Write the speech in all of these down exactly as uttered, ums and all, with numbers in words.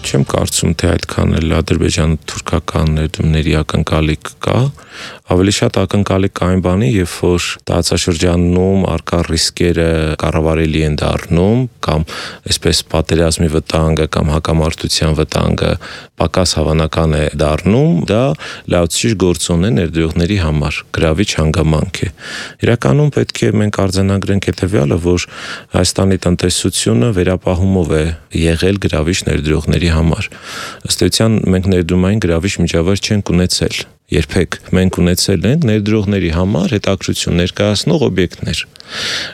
Չեմ կարծում, թե այդքան էլ ադրբեջանա-թուրքական ներդրումների ակնկալիք կա, ավելի շատ ակնկալիք կա այն բանի, երբ որ տարածաշրջանում առկա ռիսկերը կառավարելի են դառնում, կամ այսպես պատերազմի վտանգը կամ հակամարտության վտանգը պակաս հավանական է դառնում, դա լայացուցիչ գործոն է ներդրողների համար, գրավիչ հանգամանք է։ Իրականում պետք է մենք արձանագրենք հետևյալը, որ Հայաստանի տնտեսությունը վերապահումով է եղել գրավիչ ներդրողների համար։ Ըստ էության մենք ներդրումային գրավիչ միջավայր չենք ունեցել։ Երբեք մենք ունեցել ենք ներդրողների համար հետաքրքրություն ներկայացնող օբյեկտներ։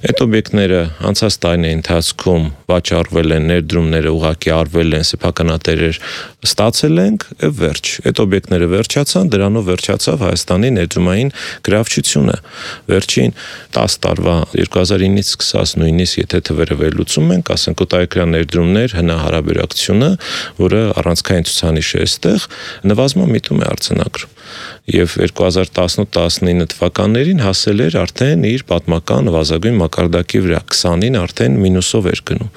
Այդ օբյեկտները անցած տարիների ընթացքում վաճառվել են, ներդրումները ուղղակի արվել են, սեփականատերեր ստացել ենք, եւ վերջ։ Այդ օբյեկտները վերջացան, դրանով վերջացավ Հայաստանի ներդրումային գրավչությունը։ Վերջին տասը տարվա երկու հազար ինից սկսած նույնիսկ եթե թվերը վերլուծում ենք, ասենք օտարերկրյա ներդրումներ հնահարաբերակցությունը, որը առանցքային ցուցանիշ է այստեղ, նվազման միտում է արձանագրում։ Եվ երկու հազար տասնութ տասնինը թվականներին հասել էր արդեն իր պատմական նվազագույն մակարդակի վրա, քսանին արդեն մինուսով էր գնում։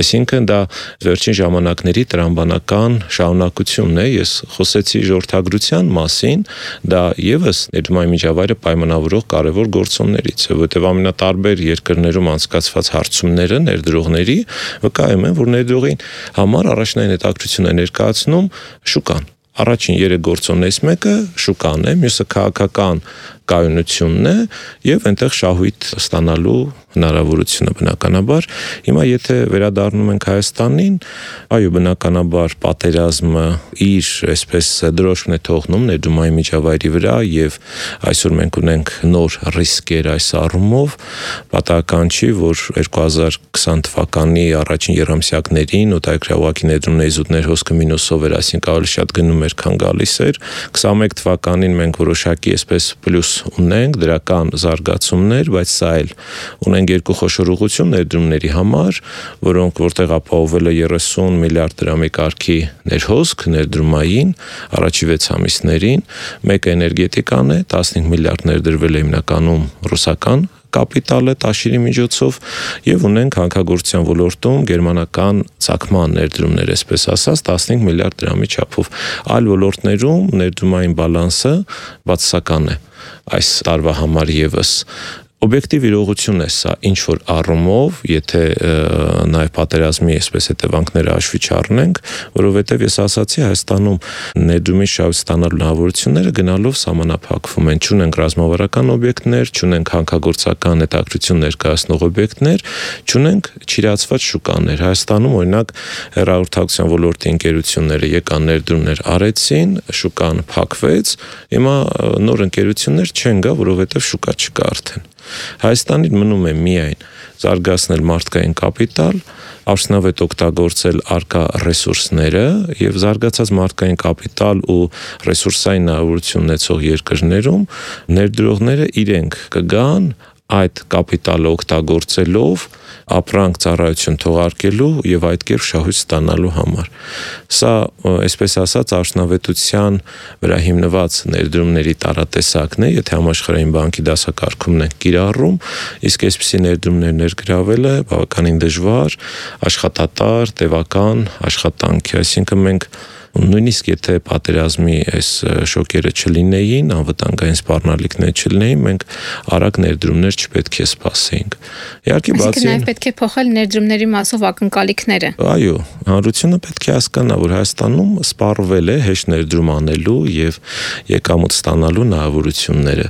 Այսինքն դա վերջին ժամանակների տրամբանական շարունակությունն է։ Ես խոսեցի ժողովրդագրության մասին, դա եւս ներդրումային միջավայրը պայմանավորող կարևոր գործոններից է, որտեղ ամենատարբեր երկրներում անցկացված հարցումները ներդրողների վկայում են, որ ներդրողին համար առաջնային հետաքրքրություն է ներկայացնում շուկան։ Առաջին երեք գործոններից մեկը շուկան է, մյուսը քաղաքական կայունությունն է եւ այնտեղ շահույթ ստանալու հնարավորությունը բնականաբար։ Հիմա եթե վերադառնում ենք Հայաստանին, այո, բնականաբար պատերազմը իր այսպես դրոշն է թողնում ներդրումային միջավայրի վրա եւ այսօր մենք ունենք նոր ռիսկեր այս առումով, պատահական չի, որ երկու հազար քսան թվականի առաջին երամսյակներին օտարերկրյա ուղղակի ներդրումների զուտներ հոսքը մինուսով էր, այսինքն ավելի շատ գնում էր, քան գալիս էր։ քսանմեկ թվականին մենք որոշակի այսպես պլյուս ունենք դրական զարգացումներ, բայց սա էլ ունենք երկու խոշոր ուղղություն ներդրումների համար, որոնք որտեղ ապահովել է երեսուն միլիարդ դրամի կարգի ներհոսք ներդրումային առաջի վեց ամիսներին, մեկը էներգետիկան է, տասնհինգ միլիարդ ներդրվել է հիմնականում ռուսական կապիտալը տաշիրի միջոցով եւ ունենք հանքագործության ոլորտում գերմանական ցակման ներդրումներ, այսպես ասած, տասնհինգ միլիարդ դրամի չափով։ Այլ ոլորտներում ներդրումային բալանսը բացասական է այս տարվա համար եւս։ Օբյեկտիվ իրողություն է սա, ինչ որ առումով, եթե նաև պատերազմի այսպես հետևանքները հաշվի չառնենք, որովհետև ես ասացի, Հայաստանում ներդրումի շահույթ ստանալու հնարավորությունները գնալով սահմանափակվում են, չունենք ռազմավարական օբյեկտներ, չունենք հանքագործական հետաքրքրություն ներկայացնող օբյեկտներ, չունենք չիրացված շուկաներ։ Հայաստանում օրինակ հեռահաղորդակցության ոլորտի ընկերությունները եկան ներդրումներ արեցին, շուկան փակվեց, հիմա նոր ընկերություններ չեն գա, որովհետև շուկա չկա արդեն։ Հայաստանին մնում է միայն զարգացնել մարդկային կապիտալ, արդյունավետ օգտագործել առկա ռեսուրսները եւ զարգացած մարդկային կապիտալ ու ռեսուրսային հնարավորություն ունեցող երկրներում ներդրողները իրենք կգան այդ կապիտալը օգտագործելով ապրանք ծառայություն թողարկելու եւ այդ կերպ շահույթ ստանալու համար։ Սա, այսպես ասած, արդյունավետության վրա հիմնված ներդրումների տարատեսակն է, եթե համաշխարհային բանկի դասակարգումն ենք կիրառում, իսկ այսպիսի ներդրումներ ներգրավելը բավականին դժվար, աշխատատար, տևական աշխատանք է, այսինքն մենք նույնիսկ եթե պատերազմի այս շոկերը չլինեին, անվտանգային սպառնալիքներ չլինեին, մենք արագ ներդրումներ չպետք է սպասեինք։ Իհարկե, բացի Այսինքն պետք է փոխել ներդրումների մասով ակնկալիքները։ Այո, հանրությունը պետք է հասկանա, որ Հայաստանում սպառվել է հեշտ ներդրում անելու եւ եկամուտ ստանալու հնարավորությունները։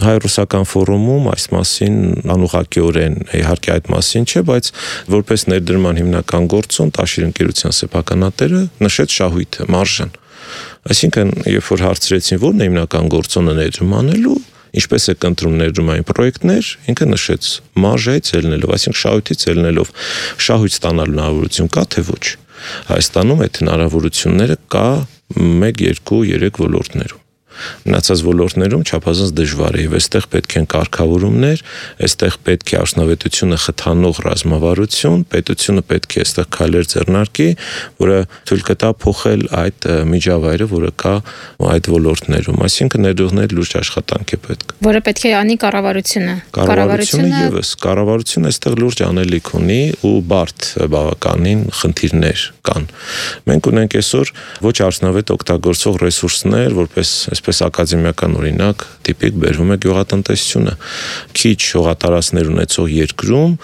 Հայ-ռուսական ֆորումում այս մասին անուղղակիորեն իհարկե այդ մասին չէ, բայց որպես ներդրման հիմնական գործոն տաշիր ընկերության սեփականատերը նշեց շահույթը, մարժան։ Այսինքն, երբ որ հարցրեցին, որն է հիմնական գործոնը ներդրում անելու, ինչպես է կընտրում ներդրումային պրոյեկտներ, ինքը նշեց մարժայից ելնելով, այսինքն շահույթից ելնելով, շահույթ ստանալու հնարավորություն կա, թե ոչ։ Հայաստանում այդ հնարավորությունները կա մեկ, երկու, երեք ոլորտներում։ Մնացած ոլորտներում չափազանց դժվար է, եւ այստեղ պետք են կարգավորումներ, այստեղ պետք է արդյունավետությունը խթանող ռազմավարություն, պետությունը պետք է այստեղ քայլեր ձեռնարկի, որը թույլ կտա փոխել այդ միջավայրը, որը կա այդ ոլորտներում, այսինքն ներդրողների լուրջ աշխատանք է պետք։ Որը պետք է անի կառավարությունը։ Կառավարությունը եւս, կառավարությունը այստեղ լուրջ անելիք ունի ու բարդ բավականին խնդիրներ կան։ Մենք ունենք այսօր ոչ արդյունավետ օգտագործող ռեսուրսներ, որպես այսպես ակադեմիական օրինակ, տիպիկ բերվում է գյուղատնտեսությունը։ Քիչ հողատարածքներ ունեցող երկրում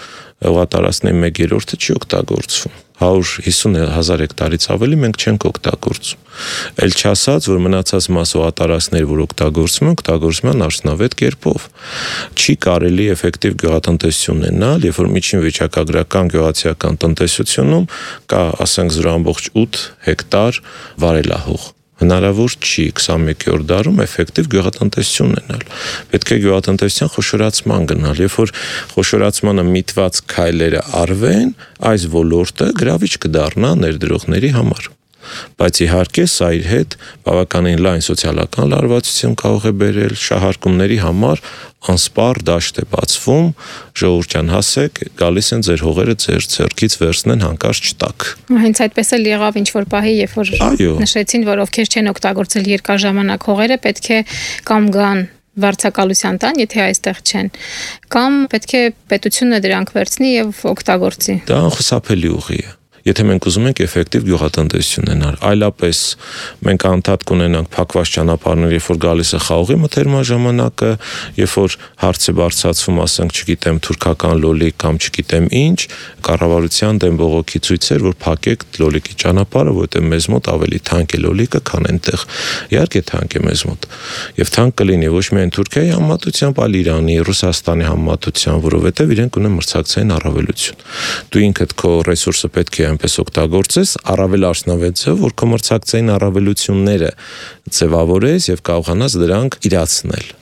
հողատարածքների մեկ երրորդը չի օգտագործվում։ հարյուր հիսուն հազար հեկտարից ավելի մենք չենք օգտագործում։ Էլ չասած, որ մնացած մաս հողատարածքներ, որ օգտագործվում են, օգտագործվում են արդյունավետ կերպով։ Չի կարելի էֆեկտիվ գյուղատնտեսություն ունենալ, երբ որ միջին վիճակագրական գյուղացիական տնտեսությունում կա, ասենք, զրո ամբողջ ութ հեկտար վարելահող։ Հնարավոր չի քսանմեկերորդ դարում էֆեկտիվ գյուղատնտեսություն ունենալ։ Պետք է գյուղատնտեսության խոշորացման գնալ, երբ որ խոշորացմանը միտված քայլերը արվեն, այս ոլորտը գրավիչ կդառնա ներդրողների համար։ Բայց իհարկե սա իր հետ բավականին լայն սոցիալական լարվածություն կարող է բերել, շահարկումների համար անսպառ դաշտ է բացվում, ժողովրդյան հասեք, գալիս են ձեր հողերը ձեր ձեռքից վերցնեն հանկարծ չտակ։ Հենց այդպես էլ եղավ ինչ որ պահի, երբ որ նշեցին, որ ովքեր չեն օգտագործել երկար ժամանակ հողերը, պետք է կամ գան վարձակալության տան, եթե այստեղ չեն, կամ պետք է պետությունը դրանք վերցնի եւ օգտագործի։ Դա անխուսափելի ուղի է։ Եթե մենք ուզում ենք էֆեկտիվ գյուղատնտեսություն ունենալ, այլապես մենք անդադ կունենանք փակված ճանապարհներ, երբ որ գալիս է խաղողի մթերման ժամանակը, երբ որ հարց է բարձրացվում, ասենք, չգիտեմ, թուրքական լոլիկ կամ չգիտեմ ինչ, կառավարության դեմ բողոքի ցույցեր, որ փակեք լոլիկի ճանապարհը, որովհետև մեզ մոտ ավելի թանկ է լոլիկը, քան այնտեղ։ Իհարկե թանկ է մեզ մոտ։ Եվ թանկ կլինի ոչ միայն Թուրքիայի համեմատությամբ, այլ Իրանի, Ռուսաստանի համեմատությամբ, որովհետև իրենք ունեն մրցակցային առավելություն։ Դու ինքդ քո ռեսուրսը պետք է այնպես օգտագործես, առավել արդյունավետ է, որ քո մրցակցային առավելությունները ձևավորես եւ կարողանաս դրանք իրացնել։